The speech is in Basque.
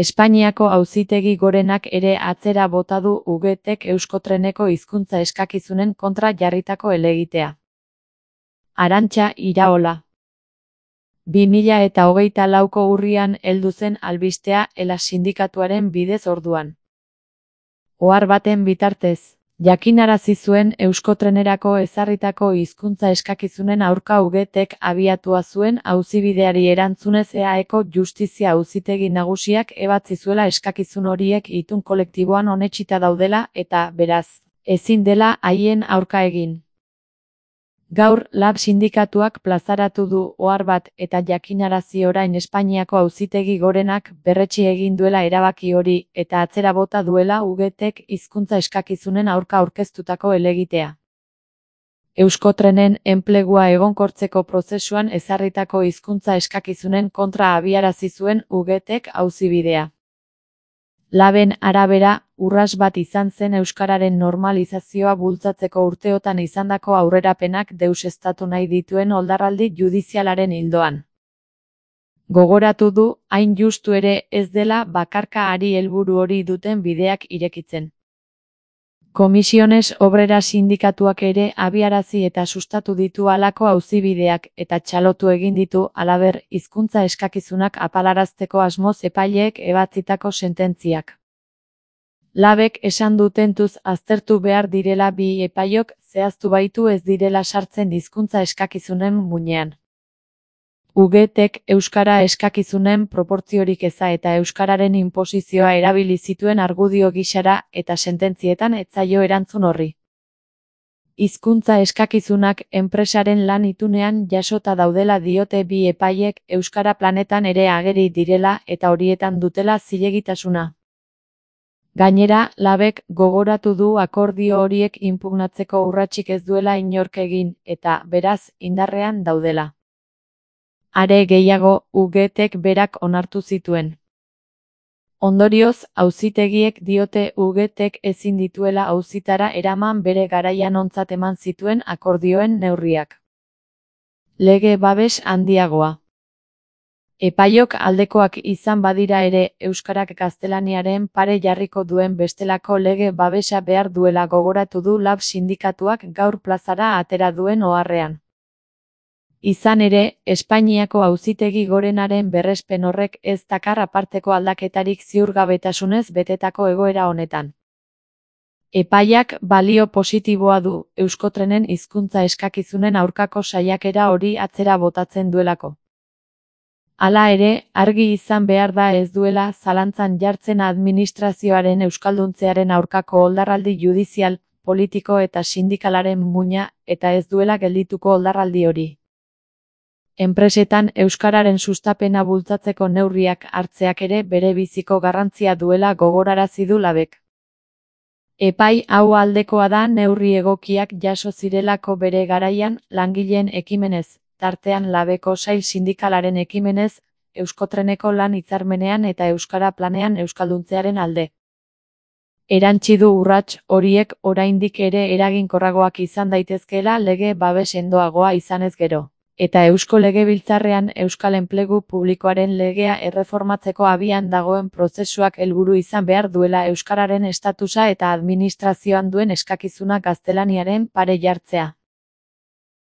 Espainiako Auzitegi Gorenak ere atzera bota du UGTek Euskotreneko hizkuntza eskakizunen kontra jarritako helegitea. Arantxa Iraola. 2024ko urrian heldu zen albistea ELA sindikatuaren bidez orduan. Ohar baten bitartez, jakinarazi zuen Euskotrenerako ezarritako hizkuntza eskakizunen aurka UGTek abiatua zuen auzibideari erantzunez EAEko Justizia Auzitegi Nagusiak ebatzi zuela eskakizun horiek itun kolektiboan onetsita daudela eta, beraz, ezin dela haien aurka egin. Gaur, LAB sindikatuak plazaratu du ohar bat eta jakinarazi orain Espainiako Auzitegi Gorenak berretsi egin duela erabaki hori eta atzera bota duela UGTek hizkuntza eskakizunen aurka aurkeztutako helegitea. Euskotrenen enplegua egonkortzeko prozesuan ezarritako hizkuntza eskakizunen kontra abiarazi zuen UGTek auzibidea. LABen arabera, urrats bat izan zen euskararen normalizazioa bultzatzeko urteotan izandako aurrerapenak deuseztatu nahi dituen oldarraldi judizialaren ildoan. Gogoratu du, hain justu ere ez dela bakarka ari helburu hori duten bideak irekitzen. Comisiones Obreras sindikatuak ere abiarazi eta sustatu ditu halako auzibideak eta txalotu egin ditu halaber hizkuntza eskakizunak apalarazteko asmoz epaileek ebatzitako sententziak. LABek esan du tentuz aztertu behar direla bi epaiok zehaztu baitu ez direla sartzen hizkuntza eskakizunen muinean. UGTek euskara eskakizunen proportziorik eza eta euskararen inposizioa erabili zituen argudio gisara eta sententzietan ez zaio erantzun horri. Hizkuntza eskakizunak enpresaren lan itunean jasota daudela diote bi epaiek euskara planetan ere ageri direla eta horietan dutela zilegitasuna. Gainera, LABek gogoratu du akordio horiek inpugnatzeko urratsik ez duela inork egin eta, beraz, indarrean daudela. Are gehiago, UGTek berak onartu zituen. Ondorioz, auzitegiek diote UGTek ezin dituela auzitara eraman bere garaian ontzat eman zituen akordioen neurriak. Lege babes handiagoa. Epaiok aldekoak izan badira ere, euskarak gaztelaniaren pare jarriko duen bestelako lege babesa behar duela gogoratu du LAB sindikatuak gaur plazara atera duen oharrean. Izan ere, Espainiako Auzitegi Gorenaren berrespen horrek ez dakar aparteko aldaketarik ziurgabetasunez betetako egoera honetan. Epaiak balio positiboa du, Euskotrenen hizkuntza eskakizunen aurkako saiakera hori atzera botatzen duelako. Hala ere, argi izan behar da ez duela zalantzan jartzen administrazioaren euskalduntzearen aurkako oldarraldi judizial, politiko eta sindikalaren muina eta ez duela geldituko oldarraldi hori. Enpresetan euskararen sustapena bultzatzeko neurriak hartzeak ere bere biziko garrantzia duela gogorarazi du LABek. Epai hau aldekoa da neurri egokiak jaso zirelako bere garaian langileen ekimenez, tartean LABeko sail sindikalaren ekimenez, Euskotreneko lan hitzarmenean eta euskara planean euskalduntzearen alde. Erantsi du urrats horiek oraindik ere eraginkorragoak izan daitezkeela lege babes sendoagoa izanez gero. Eta Eusko Legebiltzarrean Euskal Enplegu Publikoaren legea erreformatzeko abian dagoen prozesuak helburu izan behar duela euskararen estatusa eta administrazioan duen eskakizuna gaztelaniaren pare jartzea.